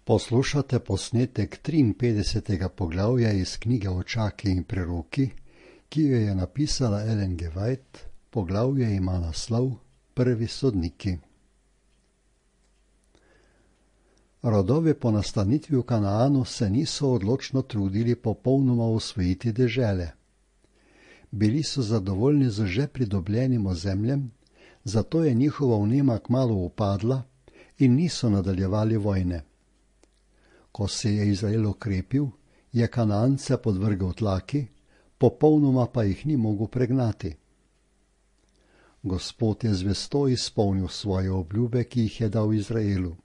Poslušate posnetek 53. poglavja iz knjige Očaki in preroki, ki jo je napisala Ellen G. White. Poglavje ima naslov Prvi sodniki. Rodovi po nastanitvi v Kanaanu se niso odločno trudili popolnoma osvojiti dežele. Bili so zadovoljni z že pridobljenim ozemljem, zato je njihova vnema kmalu upadla in niso nadaljevali vojne. Ko se je Izrael okrepil, je Kanaance podvrgel tlaki, popolnoma pa jih ni mogel pregnati. Gospod je zvesto izpolnil svoje obljube, ki jih je dal Izraelu.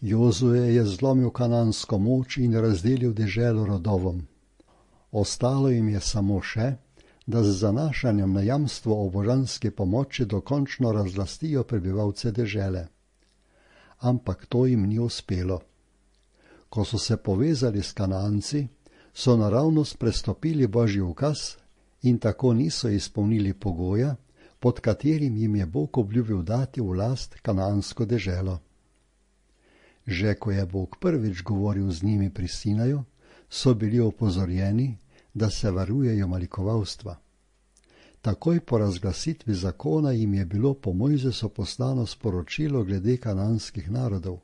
Jozue je zlomil kanansko moč in razdelil deželo rodovom. Ostalo jim je samo še, da z zanašanjem na jamstvo o božanski pomoči dokončno razlastijo prebivalce dežele. Ampak to jim ni uspelo. Ko so se povezali s Kanaanci, so naravnost prestopili Božji ukaz in tako niso izpolnili pogoja, pod katerim jim je Bog obljubil dati v last kanaansko deželo. Že ko je Bog prvič govoril z njimi pri Sinaju, so bili opozorjeni, da se varujejo malikovalstva. Takoj po razglasitvi zakona jim je bilo po Mojzesu poslano sporočilo glede kanaanskih narodov.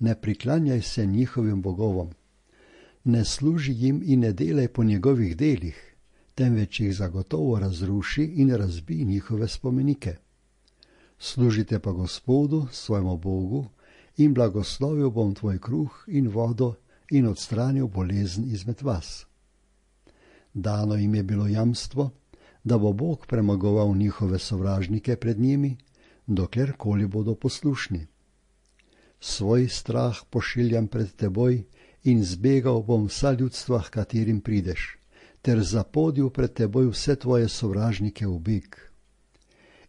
Ne priklanjaj se njihovim bogovom, ne služi jim in ne delaj po njegovih delih, temveč jih zagotovo razruši in razbij njihove spomenike. Služite pa Gospodu, svojemu Bogu, in blagoslovil bom tvoj kruh in vodo in odstranil bolezen izmed vas. Dano jim je bilo jamstvo, da bo Bog premagoval njihove sovražnike pred njimi, doklerkoli bodo poslušni. Svoj strah pošiljam pred teboj in zbegal bom vsa ljudstva, h katerim prideš, ter zapodil pred teboj vse tvoje sovražnike v beg.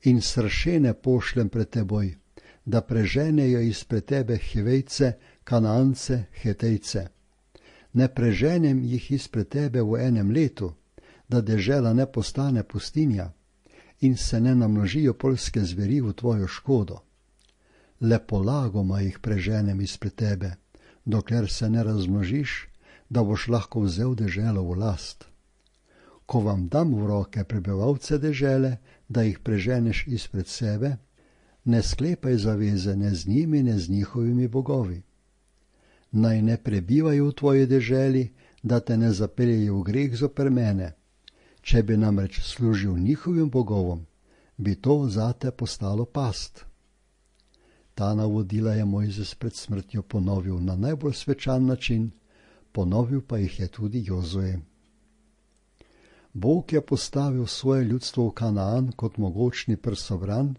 In sršene pošljem pred teboj, da preženejo izpred tebe Hivejce, Kanaance, Hetejce. Ne preženem jih izpred tebe v enem letu, da dežela ne postane pustinja in se ne namnožijo poljske zveri v tvojo škodo. Le polagoma jih preženem izpred tebe, dokler se ne razmnožiš, da boš lahko vzel deželo v last. Ko vam dam v roke prebivalce dežele, da jih preženeš izpred sebe, ne sklepaj zaveze ne z njimi, ne z njihovimi bogovi. Naj ne prebivajo v tvoji deželi, da te ne zapeljejo v greh zoper mene. Če bi namreč služil njihovim bogovom, bi to zate postalo past. Ta navodila je Mojzes pred smrtjo ponovil na najbolj svečan način, ponovil pa jih je tudi Jozue. Bog je postavil svoje ljudstvo v Kanaan kot mogočni prsobran,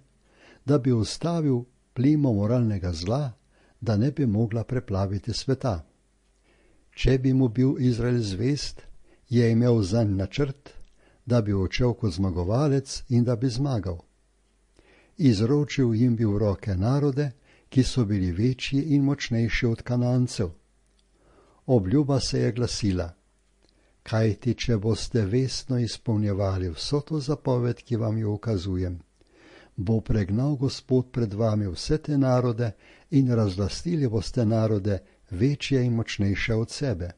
da bi ustavil plimo moralnega zla, da ne bi mogla preplaviti sveta. Če bi mu bil Izrael zvest, je imel zanj načrt, da bi odšel kot zmagovalec in da bi zmagal. Izročil jim bi v roke narode, ki so bili večji in močnejši od Kanaancev. Obljuba se je glasila: kajti če boste vestno izpolnjevali vso to zapoved, ki vam jo ukazujem, bo pregnal Gospod pred vami vse te narode in razlastili boste narode večje in močnejše od sebe.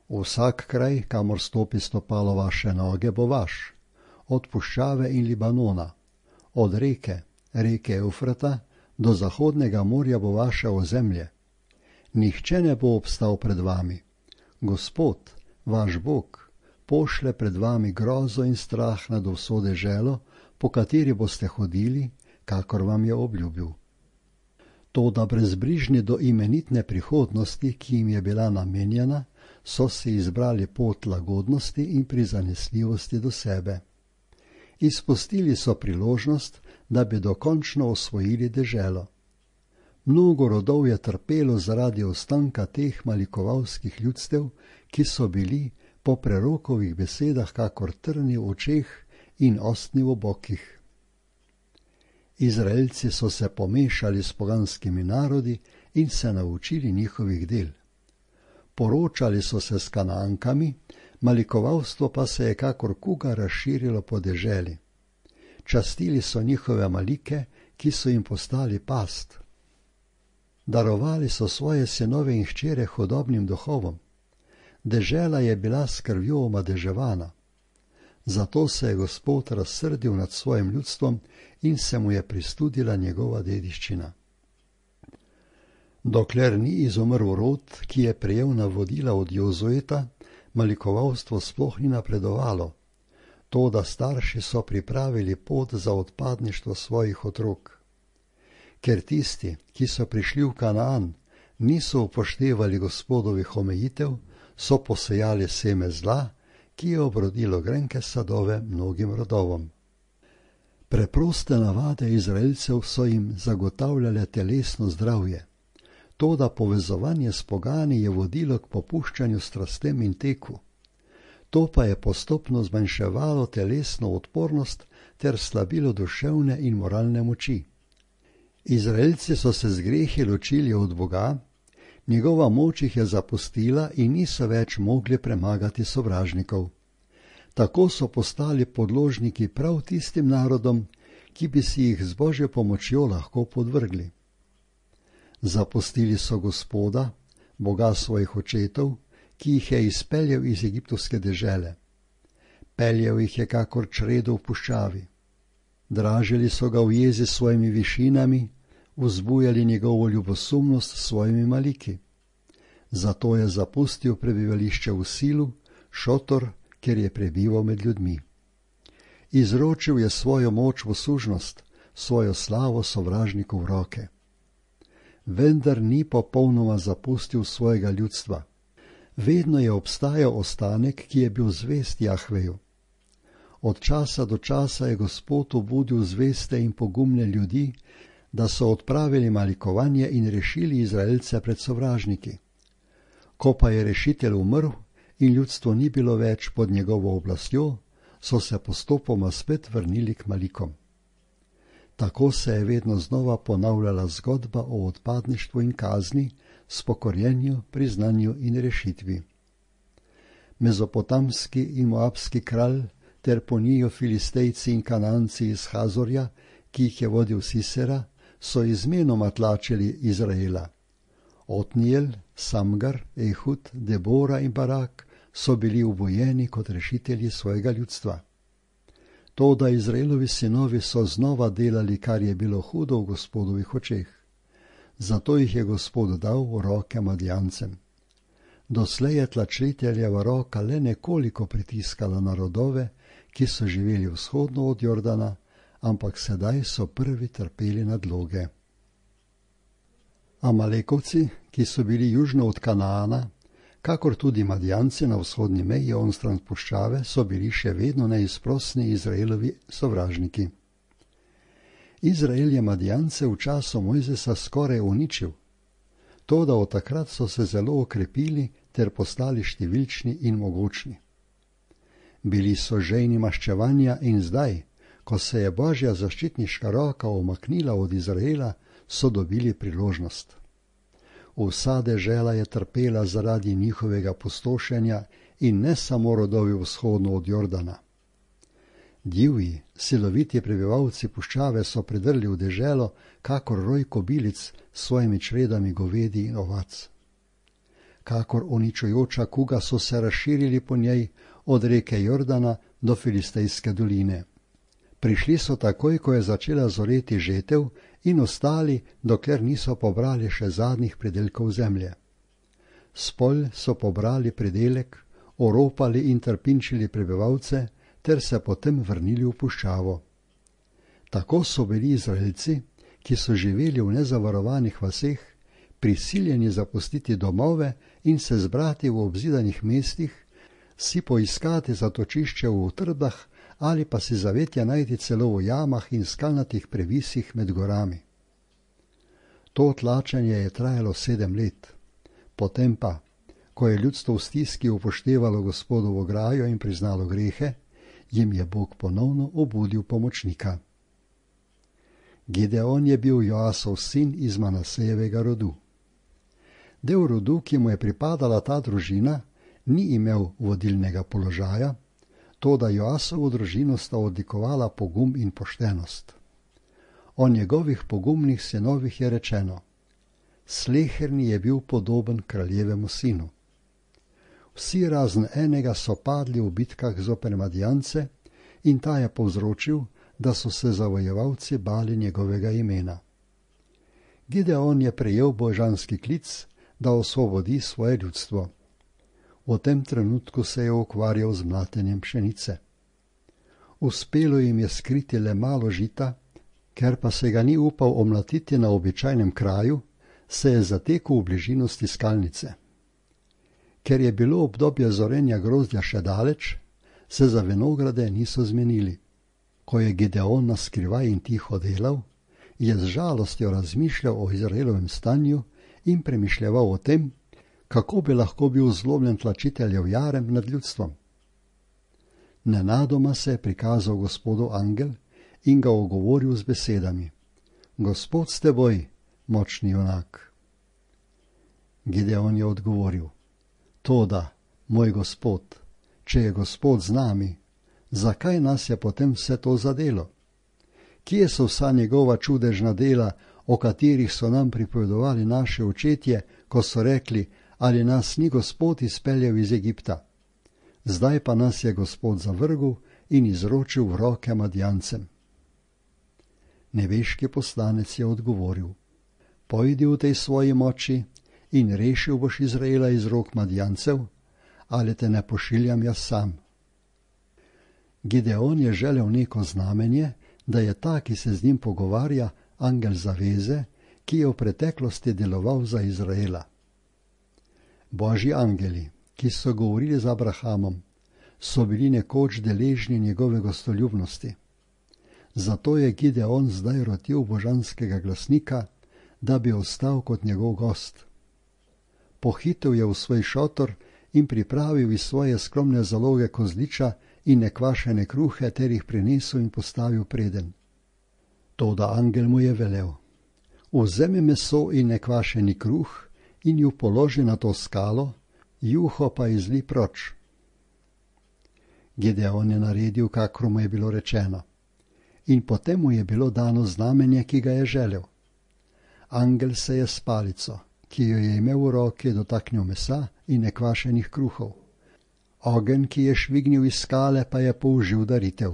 Vsak kraj, kamor stopi stopalo vaše noge, bo vaš, od puščave in Libanona, od reke Eufrata do zahodnega morja bo vaše ozemlje. Nihče ne bo obstal pred vami. Gospod, vaš Bog, pošlje pred vami grozo in strah nad vso deželo, po kateri boste hodili, kakor vam je obljubil. Toda brezbrižni do imenitne prihodnosti, ki jim je bila namenjena, so si izbrali pot lagodnosti in prizanesljivosti do sebe. Izpustili so priložnost, da bi dokončno osvojili deželo. Mnogo rodov je trpelo zaradi ostanka teh malikovalskih ljudstev, ki so bili po prerokovih besedah kakor trni v očeh in ostni v bokih. Izraelci so se pomešali s poganskimi narodi in se naučili njihovih del. Poročali so se s Kanaankami, malikovalstvo pa se je kakor kuga razširilo po deželi. Častili so njihove malike, ki so jim postali past. Darovali so svoje sinove in hčere hudobnim duhovom. Dežela je bila s krvjo omadeževana. Zato se je Gospod razsrdil nad svojim ljudstvom in se mu je pristudila njegova dediščina. Dokler ni izumrl rod, ki je prejel navodila od Jozueta, malikovalstvo sploh ni napredovalo. Toda starši so pripravili pot za odpadništvo svojih otrok. Ker tisti, ki so prišli v Kanaan, niso upoštevali Gospodovih omejitev, so posejali seme zla, ki je obrodilo grenke sadove mnogim rodovom. Preproste navade Izraelcev so jim zagotavljale telesno zdravje. Toda povezovanje s pogani je vodilo k popuščanju strastem in teku. To pa je postopno zmanjševalo telesno odpornost ter slabilo duševne in moralne moči. Izraelci so se z grehi ločili od Boga, njegova moč jih je zapustila in niso več mogli premagati sovražnikov. Tako so postali podložniki prav tistim narodom, ki bi si jih z Božjo pomočjo lahko podvrgli. Zapustili so Gospoda, Boga svojih očetov, ki jih je izpeljal iz egiptovske dežele. Peljal jih je kakor čredo v puščavi. Dražili so ga v jezi s svojimi višinami, vzbujali njegovo ljubosumnost s svojimi maliki. Zato je zapustil prebivališče v Silu, šotor, kjer je prebival med ljudmi. Izročil je svojo moč v sužnost, svojo slavo sovražniku v roke. Vendar ni popolnoma zapustil svojega ljudstva. Vedno je obstajal ostanek, ki je bil zvest Jahveju. Od časa do časa je Gospod obudil zveste in pogumne ljudi, da so odpravili malikovanje in rešili Izraelce pred sovražniki. Ko pa je rešitelj umrl in ljudstvo ni bilo več pod njegovo oblastjo, so se postopoma spet vrnili k malikom. Tako se je vedno znova ponavljala zgodba o odpadništvu in kazni, spokorjenju, priznanju in rešitvi. Mezopotamski in moabski kralj ter po njiju Filistejci in Kananci iz Hazorja, ki jih je vodil Sisera, so izmenoma tlačili Izraela. Otnijel, Samgar, Ehud, Debora in Barak so bili ubojeni kot rešitelji svojega ljudstva. Toda Izraelovi sinovi so znova delali, kar je bilo hudo v Gospodovih očeh. Zato jih je Gospod dal v roke Madijancem. Doslej je tlačiteljeva roka le nekoliko pritiskala na rodove, ki so živeli vzhodno od Jordana, ampak sedaj so prvi trpeli nadloge. Amalekovci, ki so bili južno od Kanaana, kakor tudi Madijanci na vzhodni meji onstran puščave, so bili še vedno neizprosni Izraelovi sovražniki. Izrael je Madijance v času Mojzesa skoraj uničil. Toda od takrat so se zelo okrepili ter postali številčni in mogočni. Bili so žejni maščevanja in zdaj, ko se je Božja zaščitniška roka omaknila od Izraela, so dobili priložnost. Vsa dežela je trpela zaradi njihovega pustošenja in ne samo rodovi vzhodno od Jordana. Divji, siloviti prebivalci puščave so pridrli v deželo, kakor roj kobilic s svojimi čredami govedi in ovac. Kakor uničujoča kuga so se razširili po njej od reke Jordana do Filistejske doline. Prišli so takoj, ko je začela zoreti žetev, in ostali, dokler niso pobrali še zadnjih pridelkov zemlje. Spolj so pobrali pridelek, oropali in trpinčili prebivalce, ter se potem vrnili v puščavo. Tako so bili Izraelci, ki so živeli v nezavarovanih vaseh, prisiljeni zapustiti domove in se zbrati v obzidanih mestih, si poiskati zatočišče v utrbah ali pa si zavetja najti celo v jamah in skalnatih previsih med gorami. To tlačenje je trajalo 7 let. Potem pa, ko je ljudstvo v stiski upoštevalo Gospodovo grajo in priznalo grehe, jim je Bog ponovno obudil pomočnika. Gideon je bil Joasov sin iz Manasejevega rodu. Del rodu, ki mu je pripadala ta družina, ni imel vodilnega položaja, toda Joasovo družino sta odlikovala pogum in poštenost. O njegovih pogumnih sinovih je rečeno: Sleherni je bil podoben kraljevemu sinu. Vsi razen enega so padli v bitkah zoper Madjance in ta je povzročil, da so se zavojevalci bali njegovega imena. Gideon je prejel božanski klic, da osvobodi svoje ljudstvo. V tem trenutku se je ukvarjal z mlatenjem pšenice. Uspelo jim je skriti le malo žita, ker pa se ga ni upal omlatiti na običajnem kraju, se je zatekel v bližino stiskalnice. Ker je bilo obdobje zorenja grozdja še daleč, se za vinograde niso zmenili. Ko je Gideon naskrivaj in tiho delal, je z žalostjo razmišljal o Izraelovem stanju in premišljeval o tem, kako bi lahko bil zlomljen tlačiteljev jarem nad ljudstvom. Nenadoma se je prikazal Gospodu angel in ga ogovoril z besedami: Gospod s teboj, močni junak. Gideon je odgovoril: Toda, moj Gospod, če je Gospod z nami, zakaj nas je potem vse to zadelo? Kje so vsa njegova čudežna dela, o katerih so nam pripovedovali naši očetje, ko so rekli, ali nas ni Gospod izpeljal iz Egipta? Zdaj pa nas je Gospod zavrgel in izročil v roke Madjancem. Nebeški poslanec je odgovoril: Pojdi v tej svoji moči in rešil boš Izraela iz rok Madjancev, ali te ne pošiljam jaz sam. Gideon je želel neko znamenje, da je ta, ki se z njim pogovarja, angel zaveze, ki je v preteklosti deloval za Izraela. Božji angeli, ki so govorili z Abrahamom, so bili nekoč deležni njegove gostoljubnosti. Zato je Gideon zdaj rotil božanskega glasnika, da bi ostal kot njegov gost. Pohitel je v svoj šotor in pripravil iz svoje skromne zaloge kozliča in nekvašene kruhe ter jih prinesel in postavil preden. Toda angel mu je velel: Vzemi meso in nekvašeni kruh in ju položi na to skalo, juho pa izli proč. Gideon je naredil, kakor mu je bilo rečeno. In potem mu je bilo dano znamenje, ki ga je želel. Angel se je s palico, ki jo je imel v roki, dotaknil mesa in nekvašenih kruhov. Ogenj, ki je švignil iz skale, pa je použil daritev.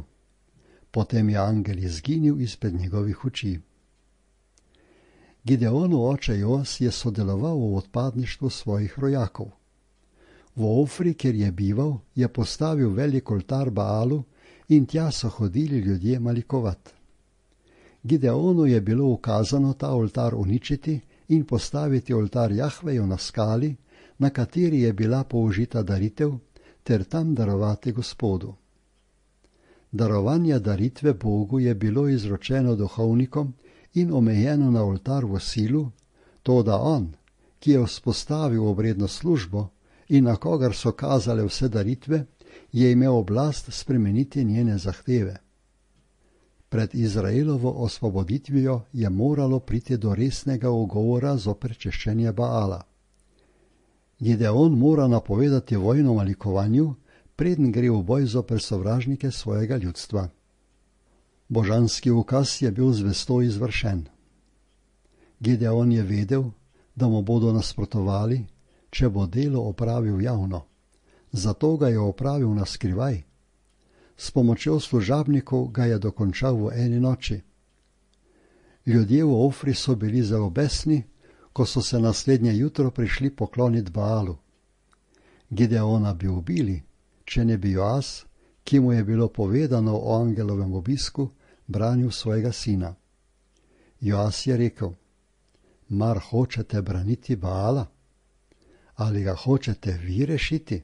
Potem je angel izginil izpred njegovih oči. Gideonov oče Joas je sodeloval v odpadništvu svojih rojakov. V Ofri, kjer je bival, je postavil velik oltar Baalu in tja so hodili ljudje malikovat. Gideonu je bilo ukazano ta oltar uničiti in postaviti oltar Jahveju na skali, na kateri je bila použita daritev, ter tam darovati Gospodu. Darovanje daritve Bogu je bilo izročeno duhovnikom in omejeno na oltar v Silu, toda on, ki je vzpostavil obredno službo in na kogar so kazale vse daritve, je imel oblast spremeniti njene zahteve. Pred Izraelovo osvoboditvijo je moralo priti do resnega ugovora zoper češčenje Baala. Gideon mora napovedati vojno malikovanju, preden gre v boj zoper sovražnike svojega ljudstva. Božanski ukaz je bil zvesto izvršen. Gideon je vedel, da mu bodo nasprotovali, če bo delo opravil javno. Zato ga je opravil na skrivaj. S pomočjo služabnikov ga je dokončal v eni noči. Ljudje v Ofri so bili zelo besni, ko so se naslednje jutro prišli pokloniti Baalu. Gideona bi ubili, če ne bi Joas, ki mu je bilo povedano o angelovem obisku, branil svojega sina. Joas je rekel: Mar hočete braniti Baala? Ali ga hočete vi rešiti?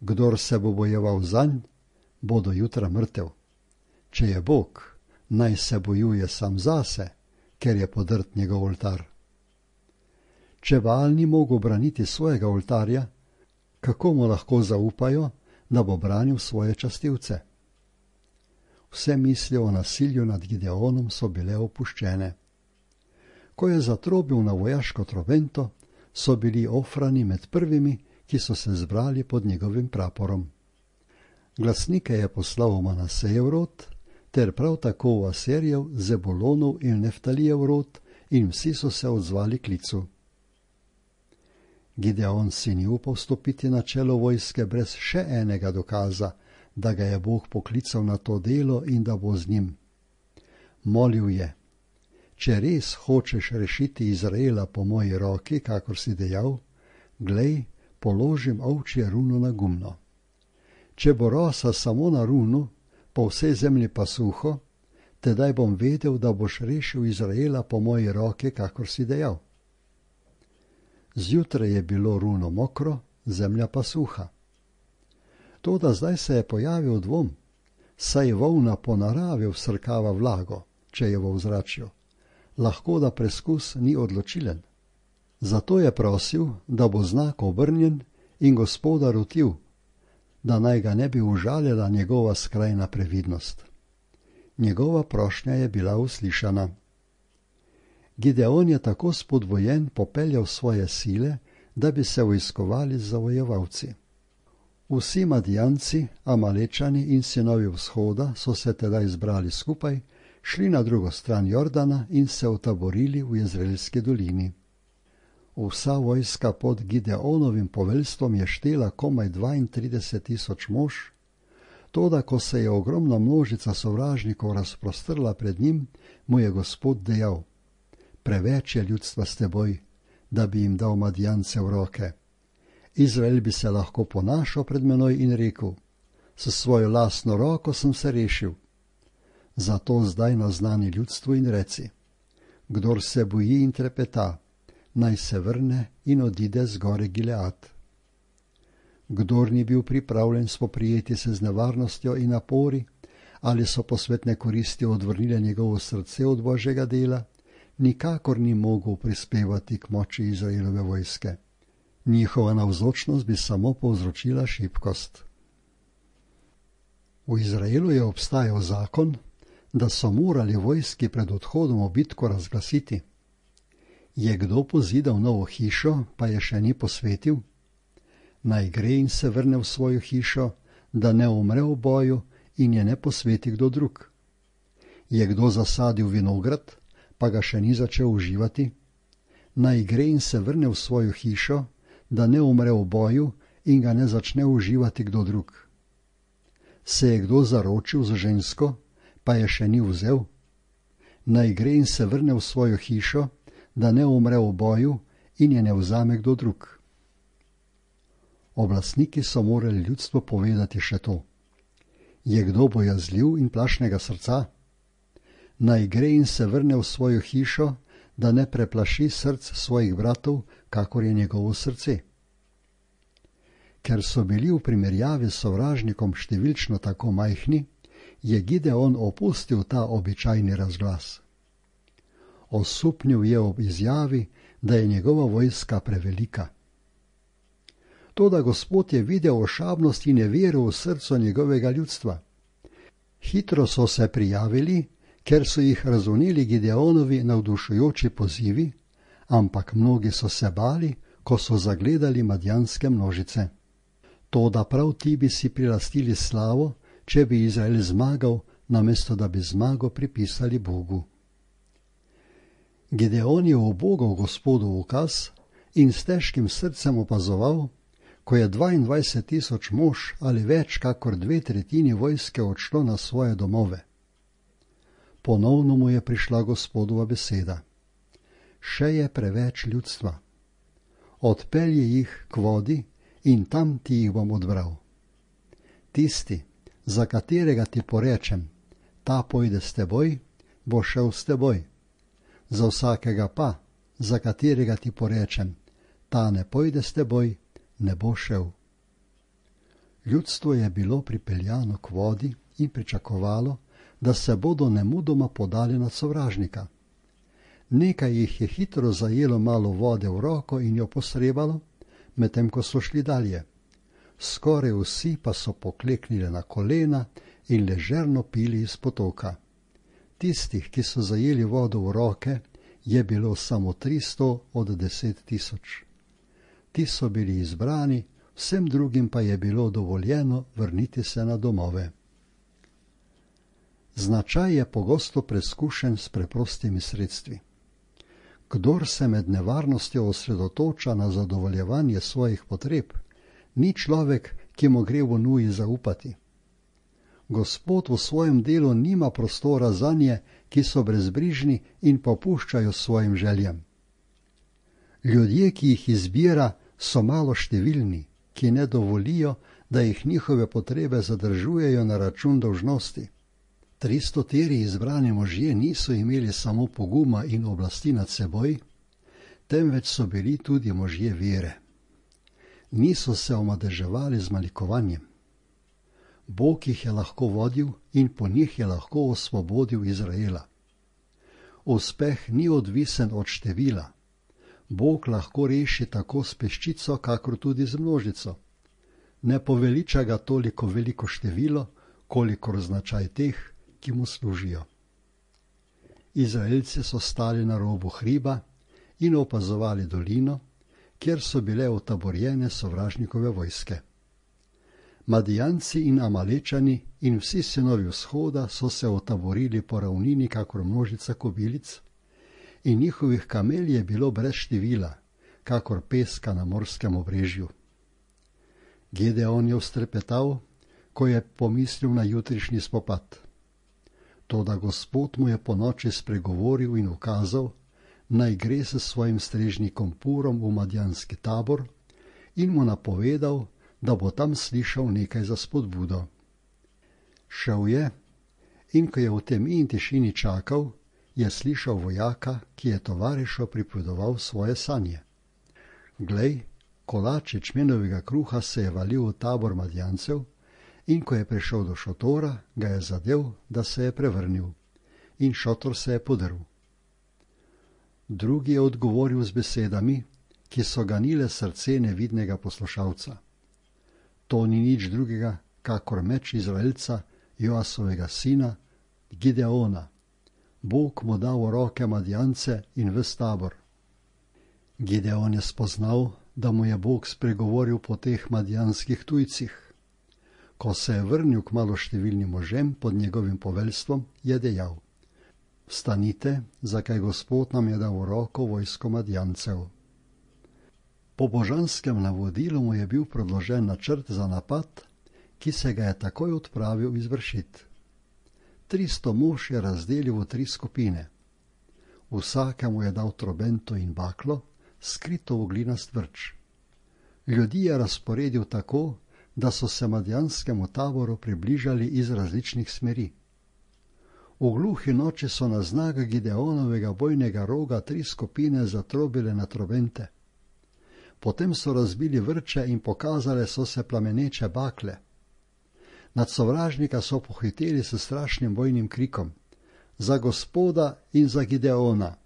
Kdor se bo bojeval zanj, bo do jutra mrtev. Če je Bog, naj se bojuje sam zase, ker je podrt njegov oltar. Če Baal ni mogel braniti svojega oltarja, kako mu lahko zaupajo, da bo branil svoje častilce? Vse misli o nasilju nad Gideonom so bile opuščene. Ko je zatrobil na vojaško trobento, so bili Ofrani med prvimi, ki so se zbrali pod njegovim praporom. Glasnike je poslal v Manasejev rod, ter prav tako v Aserjev, Zebulonov in Neftalijev rod in vsi so se odzvali klicu. Gideon si ni upal stopiti na čelo vojske brez še enega dokaza, da ga je Bog poklical na to delo in da bo z njim. Molil je: če res hočeš rešiti Izraela po moji roki, kakor si dejal, glej, položim ovčje runo na gumno. Če bo rosa samo na runu, po vsej zemlji pa suho, tedaj bom vedel, da boš rešil Izraela po moji roki, kakor si dejal. Zjutraj je bilo runo mokro, zemlja pa suha. Toda zdaj se je pojavil dvom, saj volna po naravi vsrkava vlago, če je v ozračju. Lahko da preskus ni odločilen. Zato je prosil, da bo znak obrnjen in Gospoda rotil, da naj ga ne bi užalila njegova skrajna previdnost. Njegova prošnja je bila uslišana. Gideon je tako spodbujen popeljal svoje sile, da bi se vojskovali z zavojevalci. Vsi Madijanci, Amalečani in sinovi vzhoda so se tedaj zbrali skupaj, šli na drugo stran Jordana in se utaborili v Jezreelski dolini. Vsa vojska pod Gideonovim poveljstvom je štela komaj 32.000 mož, toda ko se je ogromna množica sovražnikov razprostrla pred njim, mu je Gospod dejal: preveč je ljudstva s teboj, da bi jim dal Madijance v roke. Izrael bi se lahko ponašal pred menoj in rekel: s svojo lastno roko sem se rešil. Zato zdaj naznani ljudstvu in reci: kdor se boji in trepeta, naj se vrne in odide z gore Gilead. Kdor ni bil pripravljen spoprijeti se z nevarnostjo in napori, ali so posvetne koristi odvrnile njegovo srce od Božjega dela, nikakor ni mogel prispevati k moči Izraelove vojske. Njihova navzočnost bi samo povzročila šibkost. V Izraelu je obstajal zakon, da so morali vojski pred odhodom v bitko razglasiti: je kdo pozidal novo hišo, pa je še ni posvetil? Naj gre in se vrne v svojo hišo, da ne umre v boju in je ne posveti kdo drug. Je kdo zasadil vinograd, pa ga še ni začel uživati? Naj gre in se vrne v svojo hišo, da ne umre v boju in ga ne začne uživati kdo drug. Se je kdo zaročil z žensko, pa je še ni vzel? Naj gre in se vrne v svojo hišo, da ne umre v boju in je ne vzame kdo drug. Oblastniki so morali ljudstvu povedati še to: je kdo bojazljiv in plašnega srca? Naj gre in se vrne v svojo hišo, da ne preplaši src svojih bratov, kakor je njegovo srce. Ker so bili v primerjavi s sovražnikom številčno tako majhni, je Gideon opustil ta običajni razglas. Osupnil je ob izjavi, da je njegova vojska prevelika. Toda Gospod je videl ošabnost in nevero v srcu njegovega ljudstva. Hitro so se prijavili, ker so jih razumeli Gideonovi navdušujoči pozivi, ampak mnogi so se bali, ko so zagledali madjanske množice. Toda prav ti bi si prilastili slavo, če bi Izrael zmagal, namesto da bi zmago pripisali Bogu. Gideon je ubogal Gospodu ukaz in s težkim srcem opazoval, ko je 22.000 mož ali več kakor 2/3 vojske odšlo na svoje domove. Ponovno mu je prišla Gospodova beseda: še je preveč ljudstva. Odpelji jih k vodi in tam ti jih bom odbral. Tisti, za katerega ti porečem, ta pojde s teboj, bo šel s teboj. Za vsakega pa, za katerega ti porečem, ta ne pojde s teboj, ne bo šel. Ljudstvo je bilo pripeljano k vodi in pričakovalo, da se bodo nemudoma podali nad sovražnika. Nekaj jih je hitro zajelo malo vode v roko in jo posrebalo, medtem ko so šli dalje. Skoraj vsi pa so pokleknili na kolena in ležerno pili iz potoka. Tistih, ki so zajeli vodo v roke, je bilo samo 300 od 10.000. Ti so bili izbrani, vsem drugim pa je bilo dovoljeno vrniti se na domove. Značaj je pogosto preskušen s preprostimi sredstvi. Kdor se med nevarnostjo osredotoča na zadovoljevanje svojih potreb, ni človek, ki mu gre v nuji zaupati. Gospod v svojem delu nima prostora zanje, ki so brezbrižni in popuščajo svojim željam. Ljudje, ki jih izbira, so malo številni, ki ne dovolijo, da jih njihove potrebe zadržujejo na račun dolžnosti. 300 izbrani možje niso imeli samo poguma in oblasti nad seboj, temveč so bili tudi možje vere. Niso se omadeževali z malikovanjem. Bog jih je lahko vodil in po njih je lahko osvobodil Izraela. Uspeh ni odvisen od števila. Bog lahko reši tako s peščico, kakor tudi z množico. Ne poveliča ga toliko veliko število, kolikor značaj teh, ki mu služijo. Izraelci so stali na robu hriba in opazovali dolino, kjer so bile utaborjene sovražnikove vojske. Madijanci in Amalečani in vsi sinovi vzhoda so se utaborili po ravnini kakor množica kobilic in njihovih kamel je bilo brez števila, kakor peska na morskem obrežju. Gedeon je vztrepetal, ko je pomislil na jutrišnji spopad. Toda Gospod mu je ponoči spregovoril in ukazal, naj gre s svojim strežnikom Purom v madjanski tabor in mu napovedal, da bo tam slišal nekaj za spodbudo. Šel je in ko je v temi in tišini čakal, je slišal vojaka, ki je tovarišu pripovedoval svoje sanje. Glej, kolač ječmenovega kruha se je valil v tabor Madjancev in ko je prišel do šotora, ga je zadel, da se je prevrnil in šotor se je podrl. Drugi je odgovoril z besedami, ki so ganile srce nevidnega poslušalca. To ni nič drugega, kakor meč Izraelca, Joasovega sina, Gideona. Bog mu dal v roke Madjance in ves tabor. Gideon je spoznal, da mu je Bog spregovoril po teh madjanskih tujcih. Ko se je vrnil k maloštevilnim možem pod njegovim poveljstvom, je dejal: Vstanite, zakaj Gospod nam je dal v roko vojsko Madjancev. Po božanskem navodilu mu je bil predložen načrt za napad, ki se ga je takoj odpravil izvršiti. 300 mož je razdelil v 3 skupine. Vsakemu je dal trobento in baklo, skrito v glinast vrč. Ljudi je razporedil tako, da so se madjanskemu taboru približali iz različnih smeri. V gluhi noči so na znak Gideonovega bojnega roga 3 skupine zatrobile na trobente. Potem so razbili vrče in pokazale so se plameneče bakle. Nad sovražnika so pohiteli s strašnim bojnim krikom: Za Gospoda in za Gideona!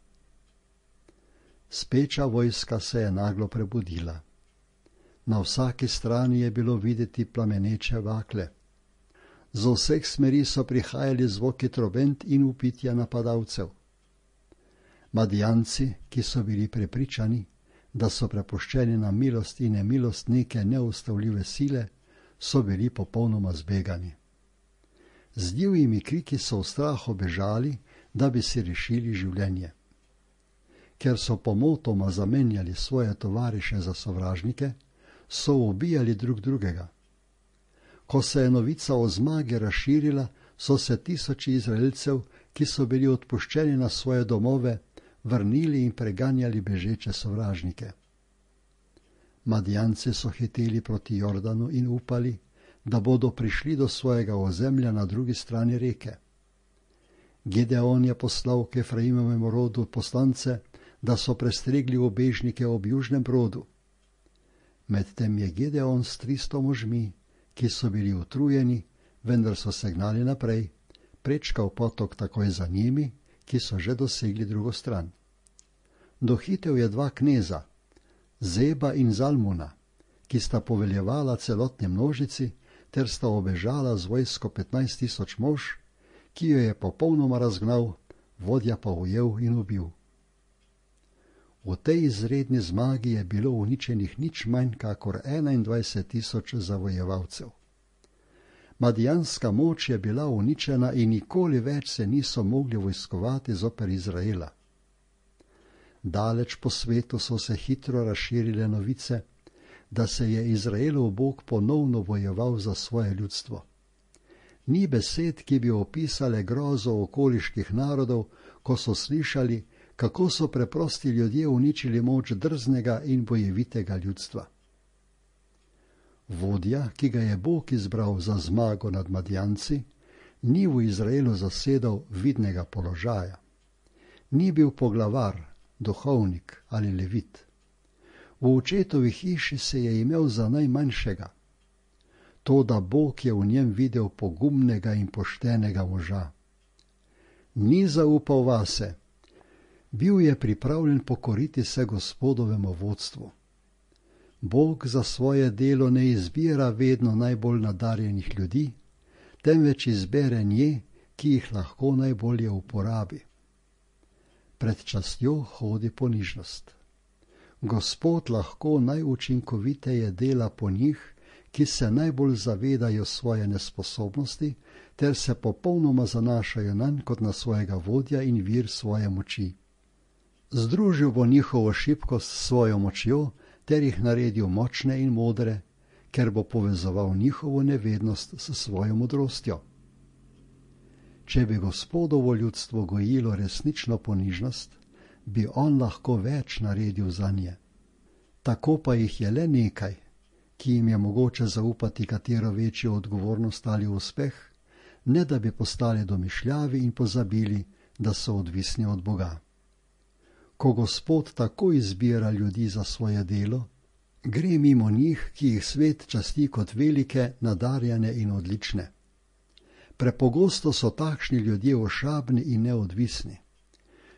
Speča vojska se je naglo prebudila. Na vsaki strani je bilo videti plameneče bakle. Z vseh smeri so prihajali zvoki trobent in vpitja napadalcev. Madjanci, ki so bili prepričani, da so prepuščeni na milost in nemilost neke neustavljive sile, so bili popolnoma zbegani. Z divjimi kriki so v strahu bežali, da bi si rešili življenje. Ker so pomotoma zamenjali svoje tovariše za sovražnike, so ubijali drug drugega. Ko se je novica o zmagi razširila, so se tisoči Izraelcev, ki so bili odpuščeni na svoje domove, vrnili in preganjali bežeče sovražnike. Madjanci so hiteli proti Jordanu in upali, da bodo prišli do svojega ozemlja na drugi strani reke. Gideon je poslal k Efraimovemu rodu poslance, da so prestregli ubežnike ob južnem brodu. Medtem je Gideon s 300 možmi, ki so bili utrujeni, vendar so se gnali naprej, prečkal potok takoj za njimi, ki so že dosegli drugo stran. Dohitel je 2 kneza, Zeba in Zalmuna, ki sta poveljevala celotni množici, ter sta obežala z vojsko 15 000 mož, ki jo je popolnoma razgnal, vodja pa ujel in ubil. V tej izredni zmagi je bilo uničenih nič manj kakor 21 000 zavojevalcev. Madjanska moč je bila uničena in nikoli več se niso mogli vojskovati zoper Izraela. Daleč po svetu so se hitro razširile novice, da se je Izraelov Bog ponovno bojeval za svoje ljudstvo. Ni besed, ki bi opisale grozo okoliških narodov, ko so slišali, kako so preprosti ljudje uničili moč drznega in bojevitega ljudstva. Vodja, ki ga je Bog izbral za zmago nad Madijanci, ni v Izraelu zasedal vidnega položaja. Ni bil poglavar, duhovnik ali levit. V očetovi hiši se je imel za najmanjšega. To, da Bog je v njem videl pogumnega in poštenega moža. Ni zaupal vase. Bil je pripravljen pokoriti se Gospodovemu vodstvu. Bog za svoje delo ne izbira vedno najbolj nadarjenih ljudi, temveč izbere nje, ki jih lahko najbolje uporabi. Pred častjo hodi ponižnost. Gospod lahko najučinkoviteje dela po njih, ki se najbolj zavedajo svoje nesposobnosti, ter se popolnoma zanašajo nanj kot na svojega vodja in vir svoje moči. Združil bo njihovo šibkost s svojo močjo, ter jih naredil močne in modre, ker bo povezoval njihovo nevednost s svojo modrostjo. Če bi Gospodovo ljudstvo gojilo resnično ponižnost, bi on lahko več naredil za nje. Tako pa jih je le nekaj, ki jim je mogoče zaupati katero večjo odgovornost ali uspeh, ne da bi postali domišljavi in pozabili, da so odvisni od Boga. Ko Gospod tako izbira ljudi za svoje delo, gre mimo njih, ki jih svet časti kot velike, nadarjene in odlične. Prepogosto so takšni ljudje ošabni in neodvisni.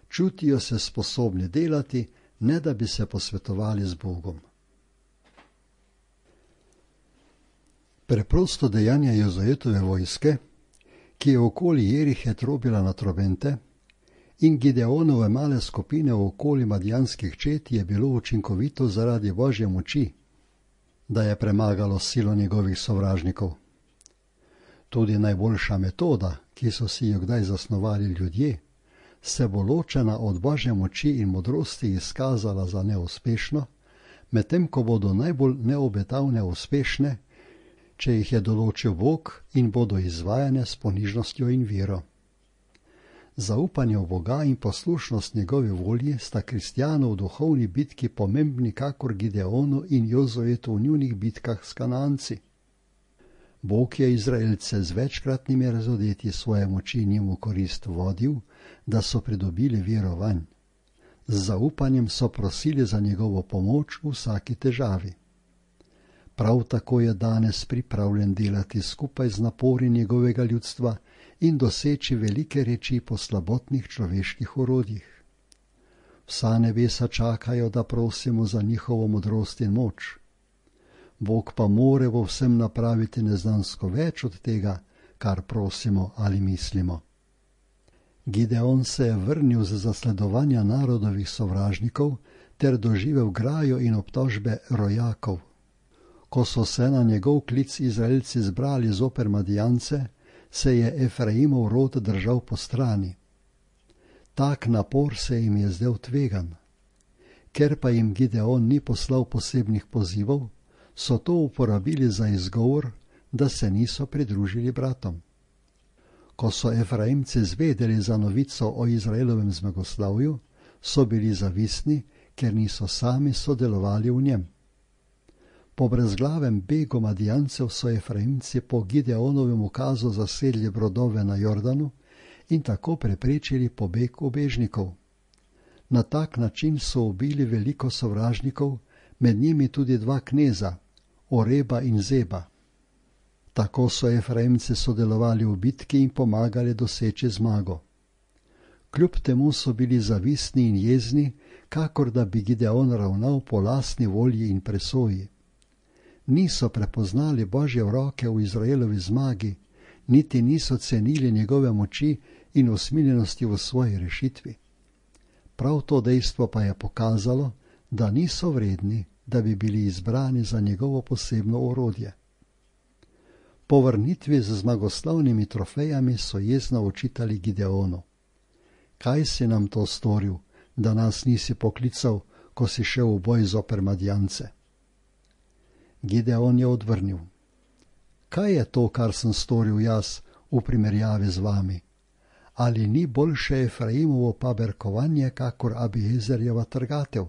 Čutijo se sposobni delati, ne da bi se posvetovali z Bogom. Preprosto dejanje Jozuetove vojske, ki je okoli Jerihe trobila na trobente, in Gideonove male skupine okoli madijanskih čet je bilo učinkovito zaradi Božje moči, da je premagalo silo njegovih sovražnikov. Tudi najboljša metoda, ki so si jo kdaj zasnovali ljudje, se bo ločena od Božje moči in modrosti izkazala za neuspešno, medtem ko bodo najbolj neobetavne uspešne, če jih je določil Bog in bodo izvajane s ponižnostjo in vero. Zaupanje v Boga in poslušnost njegovi volji sta kristjanov v duhovni bitki pomembni kakor Gideonu in Jozuetu v njunih bitkah s Kananci. Bog je Izraelce z večkratnimi razodetji svoje moči njim v korist vodil, da so pridobili vero vanj. Z zaupanjem so prosili za njegovo pomoč v vsaki težavi. Prav tako je danes pripravljen delati skupaj z napori njegovega ljudstva in doseči velike reči po slabotnih človeških orodjih. Vsa nebesa čakajo, da prosimo za njihovo modrost in moč. Bog pa more v vsem napraviti neznansko več od tega, kar prosimo ali mislimo. Gideon se je vrnil z zasledovanja narodovih sovražnikov ter doživel grajo in obtožbe rojakov. Ko so se na njegov klic Izraelci zbrali zoper Madijance, se je Efraimov rod držal po strani. Tak napor se jim je zdel tvegan. Ker pa jim Gideon ni poslal posebnih pozivov, so to uporabili za izgovor, da se niso pridružili bratom. Ko so Efraimci zvedeli za novico o Izraelovem zmagoslavju, so bili zavistni, ker niso sami sodelovali v njem. Po brezglavem begu Madijancev so Efraimci po Gideonovem ukazu zasedli brodove na Jordanu in tako preprečili pobeg ubežnikov. Na tak način so ubili veliko sovražnikov, med njimi tudi 2 kneza, Oreba in Zeba. Tako so Efraimci sodelovali v bitki in pomagali doseči zmago. Kljub temu so bili zavistni in jezni, kakor da bi Gideon ravnal po lastni volji in presoji. Niso prepoznali Božje roke v Izraelovi zmagi, niti niso cenili njegove moči in usmiljenosti v svoji rešitvi. Prav to dejstvo pa je pokazalo, da niso vredni, da bi bili izbrani za njegovo posebno orodje. Po vrnitvi z zmagoslavnimi trofejami so jezno očitali Gideonu. Kaj si nam to storil, da nas nisi poklical, ko si šel v boj zoper Madjance? Gideon je odvrnil: Kaj je to, kar sem storil jaz v primerjavi z vami? Ali ni boljše Efraimovo paberkovanje, kakor Abiezerjeva trgatev?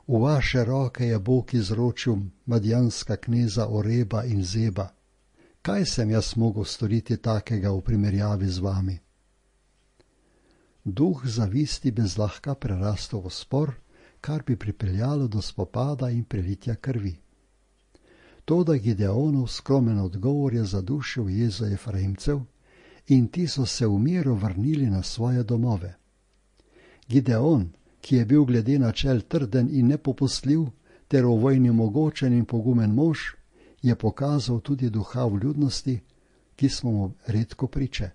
V vaše roke je Bog izročil madjanska kneza Oreba in Zeba. Kaj sem jaz mogel storiti takega v primerjavi z vami? Duh zavisti bi zlahka prerastel v spor, kar bi pripeljalo do spopada in prelitja krvi. Toda Gideonov skromen odgovor je zadušil jezo Efraimcev in ti so se v miru vrnili na svoje domove. Gideon, ki je bil glede načel trden in nepopustljiv ter v vojni mogočen in pogumen mož, je pokazal tudi duha vljudnosti, ki smo mu redko priče.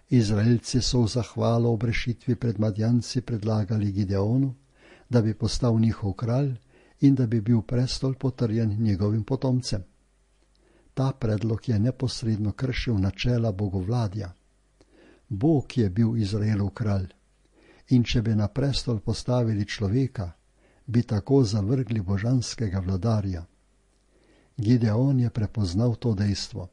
Izraelci so v zahvalo ob rešitvi pred Madjanci predlagali Gideonu, da bi postal njihov kralj in da bi bil prestol potrjen njegovim potomcem. Ta predlog je neposredno kršil načela bogovladja. Bog je bil Izraelov kralj in če bi na prestol postavili človeka, bi tako zavrgli božanskega vladarja. Gideon je prepoznal to dejstvo.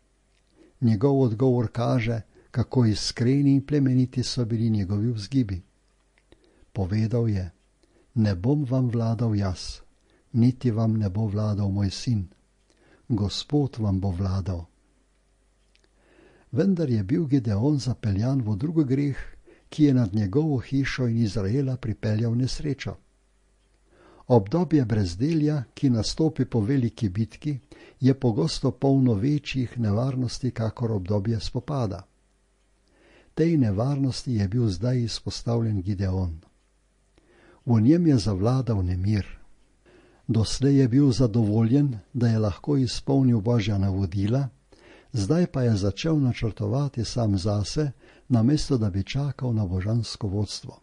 Njegov odgovor kaže, kako iskreni in plemeniti so bili njegovi vzgibi. Povedal je: Ne bom vam vladal jaz, niti vam ne bo vladal moj sin. Gospod vam bo vladal. Vendar je bil Gideon zapeljan v drugi greh, ki je nad njegovo hišo in Izraela pripeljal nesrečo. Obdobje brezdelja, ki nastopi po veliki bitki, je pogosto polno večjih nevarnosti kakor obdobje spopada. Tej nevarnosti je bil zdaj izpostavljen Gideon. V njem je zavladal nemir. Doslej je bil zadovoljen, da je lahko izpolnil Božja navodila, zdaj pa je začel načrtovati sam zase, namesto da bi čakal na božansko vodstvo.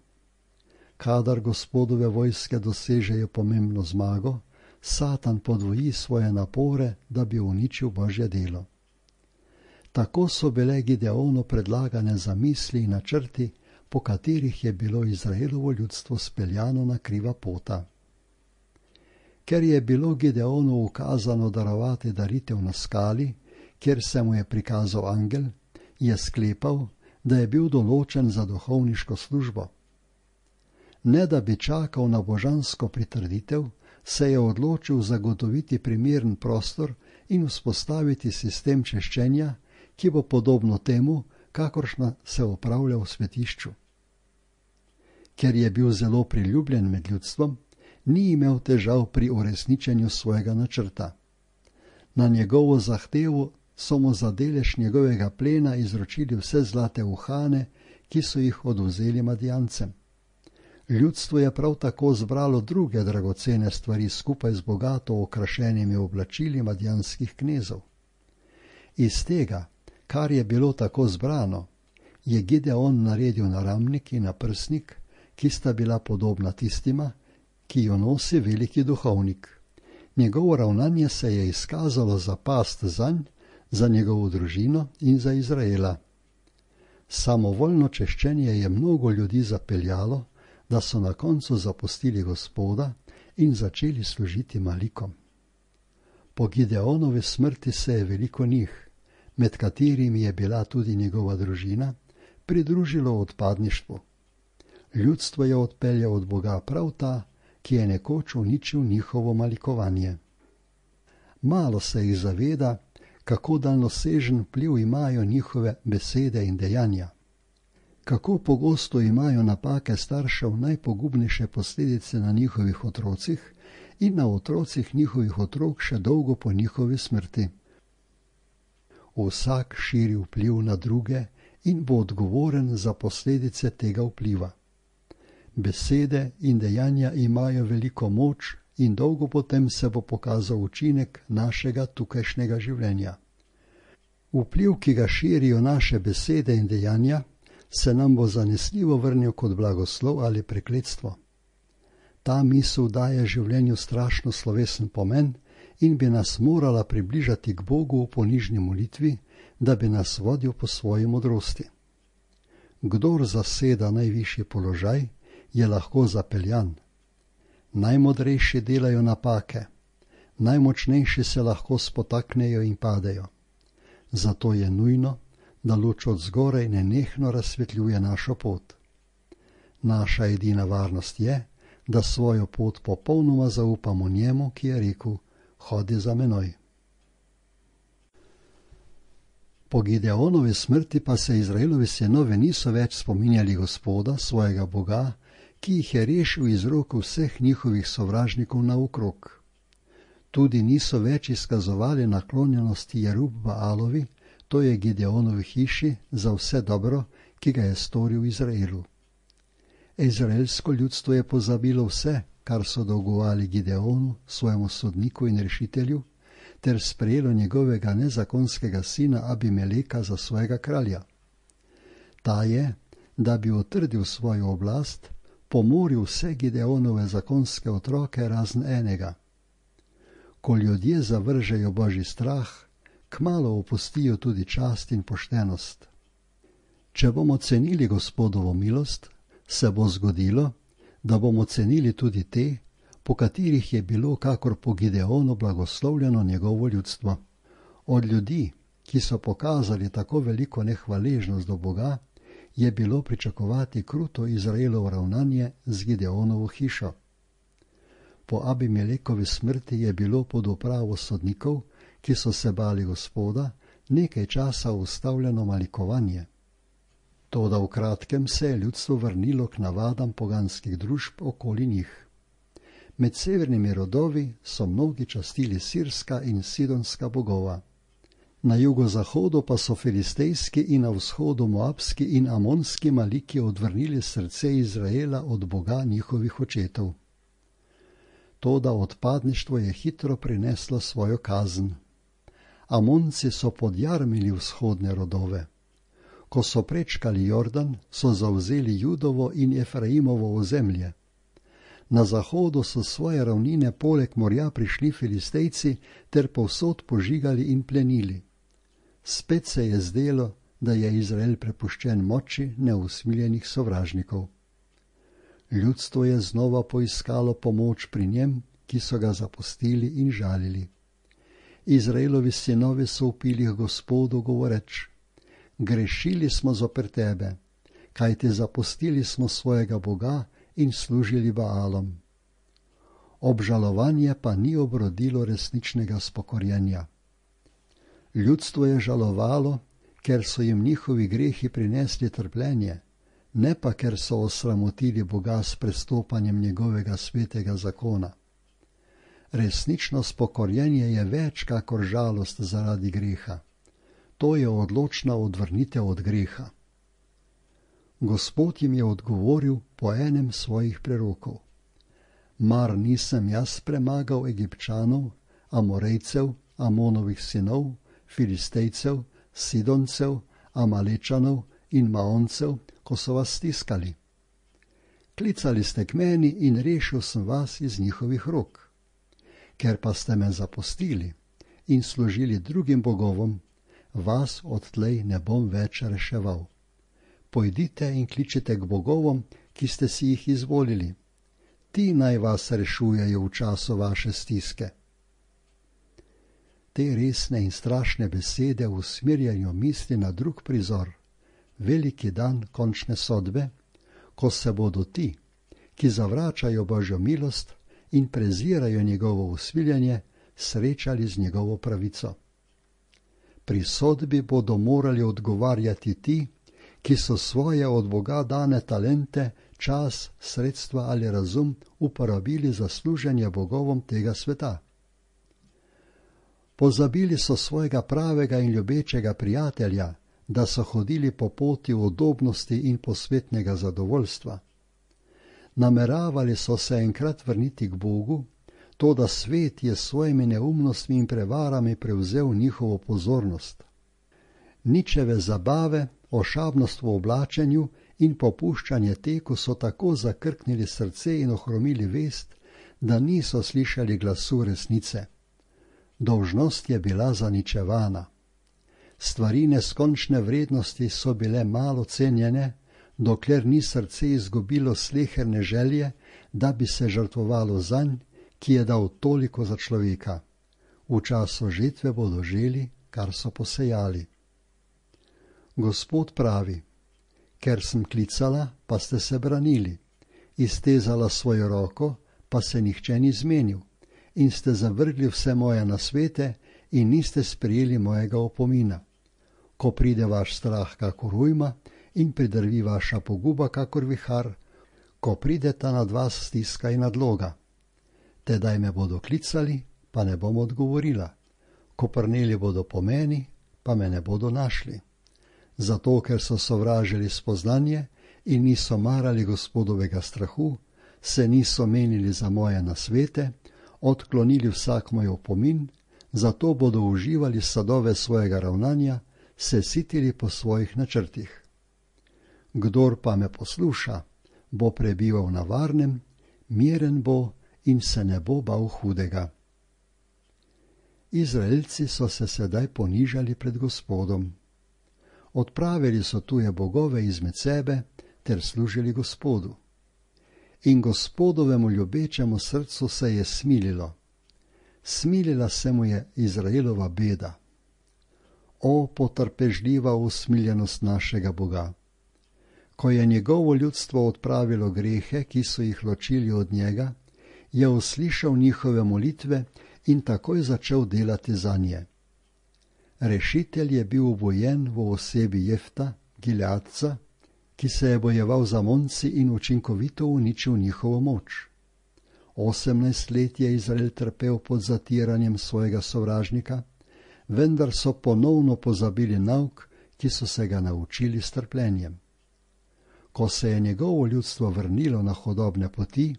Kadar Gospodove vojske dosežejo pomembno zmago, Satan podvoji svoje napore, da bi uničil Božje delo. Tako so bile Gideonu predlagane zamisli in načrti, po katerih je bilo Izraelovo ljudstvo speljano na kriva pota. Ker je bilo Gideonu ukazano darovati daritev na skali, kjer se mu je prikazal angel, je sklepal, da je bil določen za duhovniško službo. Ne da bi čakal na božansko pritrditev, se je odločil zagotoviti primeren prostor in vzpostaviti sistem češčenja, ki bo podobno temu, kakršna se opravlja v svetišču. Ker je bil zelo priljubljen med ljudstvom, ni imel težav pri uresničenju svojega načrta. Na njegovo zahtevo so mu za delež njegovega plena izročili vse zlate uhane, ki so jih odvzeli Madjancem. Ljudstvo je prav tako zbralo druge dragocene stvari skupaj z bogato okrašenimi oblačili madjanskih knezov. Iz tega, kar je bilo tako zbrano, je Gideon naredil naramnik in naprsnik, ki sta bila podobna tistima, ki jo nosi veliki duhovnik. Njegovo ravnanje se je izkazalo za past zanj, za njegovo družino in za Izraela. Samovoljno češčenje je mnogo ljudi zapeljalo, da so na koncu zapustili Gospoda in začeli služiti malikom. Po Gideonovi smrti se je veliko njih, med katerimi je bila tudi njegova družina, pridružilo odpadništvu. Ljudstvo je odpeljal od Boga prav ta, ki je nekoč uničil njihovo malikovanje. Malo se jih zaveda, kako daljnosežen vpliv imajo njihove besede in dejanja. Kako pogosto imajo napake staršev najpogubnejše posledice na njihovih otrocih in na otrocih njihovih otrok še dolgo po njihovi smrti. Vsak širi vpliv na druge in bo odgovoren za posledice tega vpliva. Besede in dejanja imajo veliko moč in dolgo potem se bo pokazal učinek našega tukajšnjega življenja. Vpliv, ki ga širijo naše besede in dejanja, se nam bo zanesljivo vrnil kot blagoslov ali prekletstvo. Ta misel daje življenju strašno slovesen pomen in bi nas morala približati k Bogu v ponižni molitvi, da bi nas vodil po svoji modrosti. Kdor zaseda najvišji položaj, je lahko zapeljan. Najmodrejši delajo napake, najmočnejši se lahko spotaknejo in padejo. Zato je nujno, da luč od zgoraj nenehno razsvetljuje našo pot. Naša edina varnost je, da svojo pot popolnoma zaupamo njemu, ki je rekel: hodi za menoj. Po Gideonovi smrti pa se Izraelovi sinovi niso več spominjali Gospoda, svojega Boga, ki jih je rešil iz rok vseh njihovih sovražnikov naokrog. Tudi niso več izkazovali naklonjenosti Jerub-Baalovi, to je Gideonovi hiši, za vse dobro, ki ga je storil Izraelu. Izraelsko ljudstvo je pozabilo vse, kar so dolgovali Gideonu, svojemu sodniku in rešitelju, ter sprejelo njegovega nezakonskega sina Abimeleka za svojega kralja. Ta je, da bi utrdil svojo oblast, pomoril vse Gideonove zakonske otroke razen enega. Ko ljudje zavržejo Božji strah, kmalu opustijo tudi čast in poštenost. Če bomo cenili Gospodovo milost, se bo zgodilo, da bomo cenili tudi te, po katerih je bilo kakor po Gideonu blagoslovljeno njegovo ljudstvo. Od ljudi, ki so pokazali tako veliko nehvaležnost do Boga, je bilo pričakovati kruto Izraelovo ravnanje z Gideonovo hišo. Po Abimelekovi smrti je bilo pod upravo sodnikov, ki so se bali Gospoda, nekaj časa ustavljeno malikovanje. Toda v kratkem se je ljudstvo vrnilo k navadam poganskih družb okoli njih. Med severnimi rodovi so mnogi častili sirska in sidonska bogova. Na jugozahodu pa so filistejski in na vzhodu moabski in amonski maliki odvrnili srce Izraela od Boga njihovih očetov. Toda odpadništvo je hitro prineslo svojo kazen. Amonci so podjarmili vzhodne rodove. Ko so prečkali Jordan, so zavzeli Judovo in Efraimovo ozemlje. Na zahodu so svoje ravnine poleg morja prišli Filistejci ter povsod požigali in plenili. Spet se je zdelo, da je Izrael prepuščen moči neusmiljenih sovražnikov. Ljudstvo je znova poiskalo pomoč pri njem, ki so ga zapustili in žalili. Izraelovi sinovi so vpili k Gospodu, govoreč: grešili smo zoper tebe, kajti zapustili smo svojega Boga in služili Baalom. Obžalovanje pa ni obrodilo resničnega spokorjenja. Ljudstvo je žalovalo, ker so jim njihovi grehi prinesli trpljenje, ne pa ker so osramotili Boga s prestopanjem njegovega svetega zakona. Resnično spokorjenje je več kakor žalost zaradi greha. To je odločna odvrnitev od greha. Gospod jim je odgovoril po enem svojih prerokov: mar nisem jaz premagal Egipčanov, Amorejcev, Amonovih sinov, Filistejcev, Sidoncev, Amalečanov in Maoncev, ko so vas stiskali? Klicali ste k meni in rešil sem vas iz njihovih rok. Ker pa ste me zapustili in služili drugim bogovom, vas odtlej ne bom več reševal. Pojdite in kličite k bogovom, ki ste si jih izvolili. Ti naj vas rešujejo v času vaše stiske. Te resne in strašne besede usmerjajo misli na drug prizor, veliki dan končne sodbe, ko se bodo ti, ki zavračajo Božjo milost in prezirajo njegovo usmiljenje, srečali z njegovo pravico. Pri sodbi bodo morali odgovarjati ti, ki so svoje od Boga dane talente, čas, sredstva ali razum uporabili za služenje bogovom tega sveta. Pozabili so svojega pravega in ljubečega prijatelja, da so hodili po poti udobnosti in posvetnega zadovoljstva. Nameravali so se enkrat vrniti k Bogu, toda svet je s svojimi neumnostmi in prevarami prevzel njihovo pozornost. Ničeve zabave, ošabnost v oblačenju in popuščanje teku so tako zakrknili srce in ohromili vest, da niso slišali glasu resnice. Dolžnost je bila zaničevana. Stvari neskončne vrednosti so bile malo cenjene, dokler ni srce izgubilo sleherne želje, da bi se žrtvovalo zanj, ki je dal toliko za človeka. V času žetve bodo želi, kar so posejali. Gospod pravi: ker sem klicala, pa ste se branili, iztezala svojo roko, pa se nihče ni zmenil, in ste zavrgli vse moje nasvete in niste sprejeli mojega opomina. Ko pride vaš strah kakor ujma in pridrvi vaša poguba kakor vihar, ko prideta nad vas stiska in nadloga. Tedaj me bodo klicali, pa ne bom odgovorila. Koprneli bodo po meni, pa me ne bodo našli. Zato, ker so sovražili spoznanje in niso marali Gospodovega strahu, se niso menili za moje nasvete, odklonili vsak moj opomin, zato bodo uživali sadove svojega ravnanja, se sitili po svojih načrtih. Kdor pa me posluša, bo prebival na varnem, miren bo in se ne bo bal hudega. Izraelci so se sedaj ponižali pred Gospodom. Odpravili so tuje bogove izmed sebe ter služili Gospodu. In Gospodovemu ljubečemu srcu se je smililo. Smilila se mu je Izraelova beda. O, potrpežljiva usmiljenost našega Boga! Ko je njegovo ljudstvo odpravilo grehe, ki so jih ločili od njega, je uslišal njihove molitve in takoj začel delati zanje. Rešitelj je bil obojen v osebi Jefta, Gileadca, ki se je bojeval z Amonci in učinkovito uničil njihovo moč. 18 let je Izrael trpel pod zatiranjem svojega sovražnika, vendar so ponovno pozabili nauk, ki so se ga naučili s trpljenjem. Ko se je njegovo ljudstvo vrnilo na hodobne poti,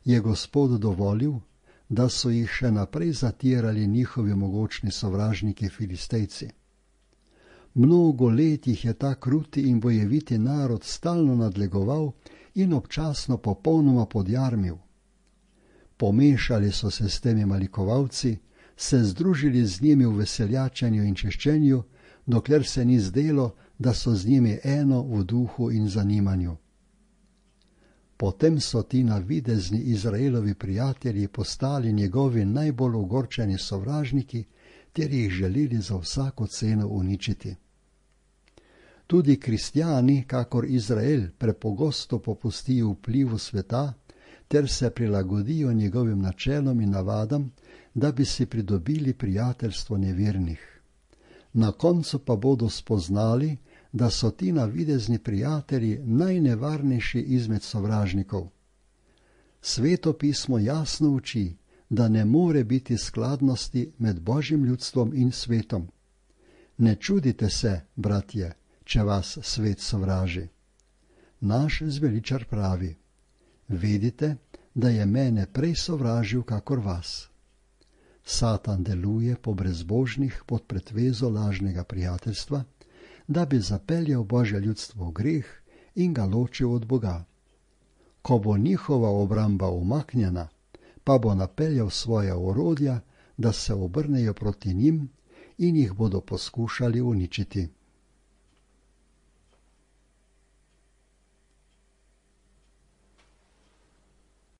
je Gospod dovolil, da so jih še naprej zatirali njihovi mogočni sovražniki Filistejci. Mnogo let jih je ta kruti in bojeviti narod stalno nadlegoval in občasno popolnoma podjarmil. Pomešali so se s temi malikovalci, se združili z njimi v veseljačenju in češčenju, dokler se ni zdelo, da so z njimi eno v duhu in zanimanju. Potem so ti navidezni Izraelovi prijatelji postali njegovi najbolj ogorčeni sovražniki, ter jih želeli za vsako ceno uničiti. Tudi kristjani, kakor Izrael, prepogosto popustijo vplivu sveta, ter se prilagodijo njegovim načelom in navadam, da bi si pridobili prijateljstvo nevernih. Na koncu pa bodo spoznali, da so ti navidezni prijatelji najnevarnejši izmed sovražnikov. Sveto pismo jasno uči, da ne more biti skladnosti med Božjim ljudstvom in svetom. Ne čudite se, bratje, če vas svet sovraži. Naš zveličar pravi: vedite, da je mene prej sovražil kakor vas. Satan deluje po brezbožnih pod pretvezo lažnega prijateljstva, da bi zapeljal Božje ljudstvo v greh in ga ločil od Boga. Ko bo njihova obramba umaknjena, pa bo napeljal svoja orodja, da se obrnejo proti njim in jih bodo poskušali uničiti.